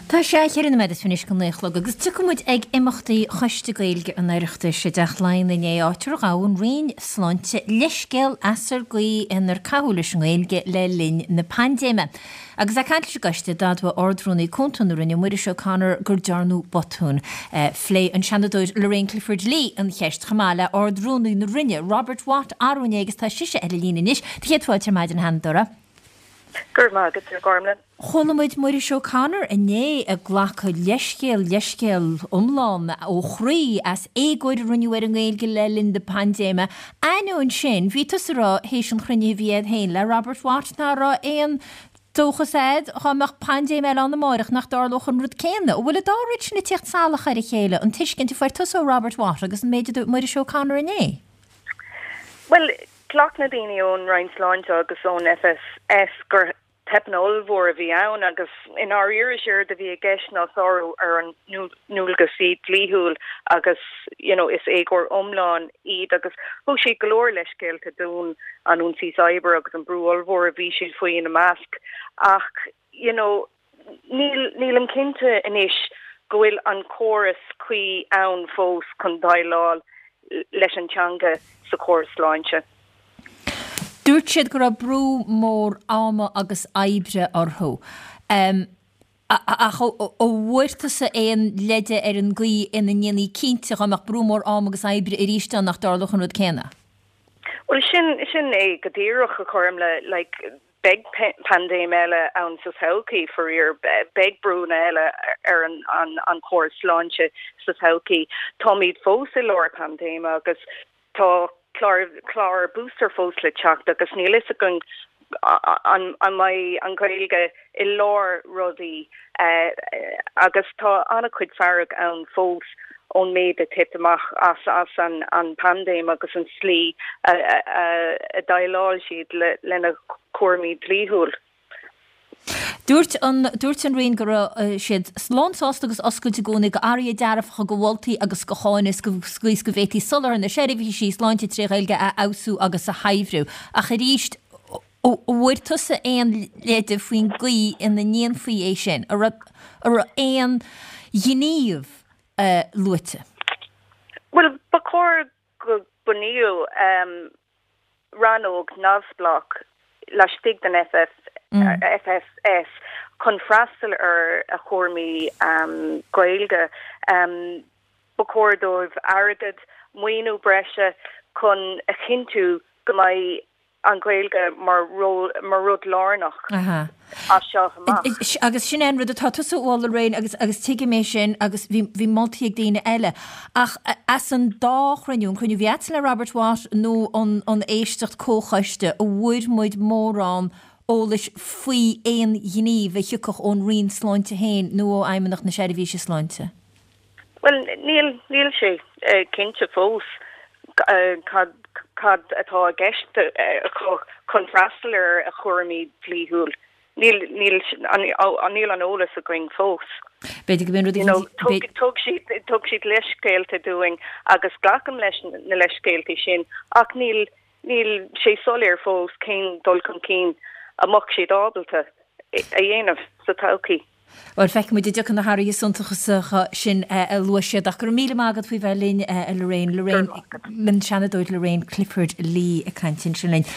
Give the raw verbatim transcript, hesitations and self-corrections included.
Tá sé cheithre nóiméad is fiche anois go naoi a chlog agus tiocfaidh muid ag imeachtaí Choiste Gaeilge an Oireachtais i dTeach Laighean inné, áit ar ghabh an Roinn Sláinte leithscéal as ar gcaoi inar caitheadh leis an nGaeilge le linn na paindéime. Agus ag caint leis an gcoiste, d'admhaigh Ard-Rúnaí Cúnta na Roinne, Muiris O'Connor, gur dearnadh botún. Phléigh an Seanadóir Lorraine Clifford-Lee an cheist chomh maith le Ard-Rúnaí na Roinne, Robert Watt, arú inné agus tá sise ar an líne anois. Do chéad fáilte ar maidin, a Sheanadóra. Go raibh maith agat, a Ghormlaith. Chuala muid Muiris O'Connor inné ag glacadh leithscéal, leithscéal iomlán ó chroí as éagóir a rinneadh ar an nGaeilge le linn na paindéime. Ainneoin sin, bhí tusa ag rá théis an chruinnithe a bhí agat féin le Robert Watt ná raibh aon dóchas a'd dhá mbeadh paindéim eile ann amáireach nach dtarlódh an rud céanna. An bhfuil an dá rud sin ag tíocht salach ar a chéile, an tuiscint a fuair tusa ó Robert Watt agus an méid a dúirt Muiris O'Connor inné? Bhuel, ghlac na daoine ón Roinn Sláinte agus ón FSS gur teipeanna ollmhór a bhí ann agus i ndáiríre is éard a bhí i gceist ná sárú ar an ndualgaisí dlíthiúil agus you know, is éagóir iomlán iad agus thug siad go leor leithscéalta dúinn an ionsaí cyber agus an brú ollmhór a bhí siad faoi ina measc ach you know, níl nílim cinnte anois go bhfuil an córas cuí ann fós chun déileáil leis an teanga sa chóras sláinte. Dúirt siad go raibh brú mór ama agus oibre orthu. Um, ach an bhfuair tusa aon leide ar an gcaoi ina ndéanfaí cinnte dá mbeadh brú mór ama agus oibre arís ann nach dtarlódh an rud céanna? Well sin sin é go díreach a Ghormlaith like beidh paindéim eile ann sa todhchaí faraor beidh brúnna eile ar an an an chóras sláinte sa todhchaí. Táimid fós i lár paindéime agus tá clár clár booster fós le teacht agus níl fhios againn an an mbeidh an Ghaeilge i lár rudaí uh, agus tá an-chuid fearg ann fós ón méid a thit amach as as an an paindéim agus an slí a, a, a, a déileáil siad le lena cúraimí dlíthiúil. Dúirt an dúirt an Roinn go raibh siad lánsásta agus oscailte i gcónaí go athruithe dearfacha go mholtaí agus go cháineadh go scaois go bhféadfaí soláthar na seirbhísí sláinte trí Ghaeilge a fheabhsú agus a shaibhriú. Ach arís an bhfuair tusa aon leide faoin gcaoi ina ndéanfaí é sin, a raibh aon ghníomh uh, luaite. Well ba chóir go bunaíodh um, rannóg neamhspleách laistigh den FF, mm. FSS chun freastal ar a chúraimí um, Gaeilge um, ba chóir dóibh airgead maoiniú breise chun a chinntiú go mbeidh an Ghaeilge mar mar rud lárnach as seo amach. Agus sin an rud atá tusa á rá agus agus tuigim é sin agus bhí moltaí ag daoine eile. Ach as an dá chruinniú an cruinniú a bhí agat le Robert Watt nó an, an éisteacht comhchoiste an bhfuair muid mórán eolais faoi aon ghníomh a thiocfadh ón Roinn Sláinte féin nó ó Fheidhmeannacht na Seirbhíse Sláinte. Well níl níl sé uh, cinnte fós uh, cad cad atá i gceist uh, chun freastal ar a chúraimí dlíthiúil. Níl níl níl an eolas againn fós. B'fhéidir go you know, thug siad thug siad leithscéalta dúinn agus glacaim leis na leithscéalta sin ach níl níl sé soiléir fós cén dul chun cinn a mbeadh siad ábalta a dhéanamh sa todhchaí. Well feicfidh muid an dtiocfaidh na hathruithe suntasacha sin a luaigh siad ach go raibh míle maith agat faoi bheith linn a Lorraine Lorraine an Seanadóir Lorraine Clifford Lee ag caint ansin linn.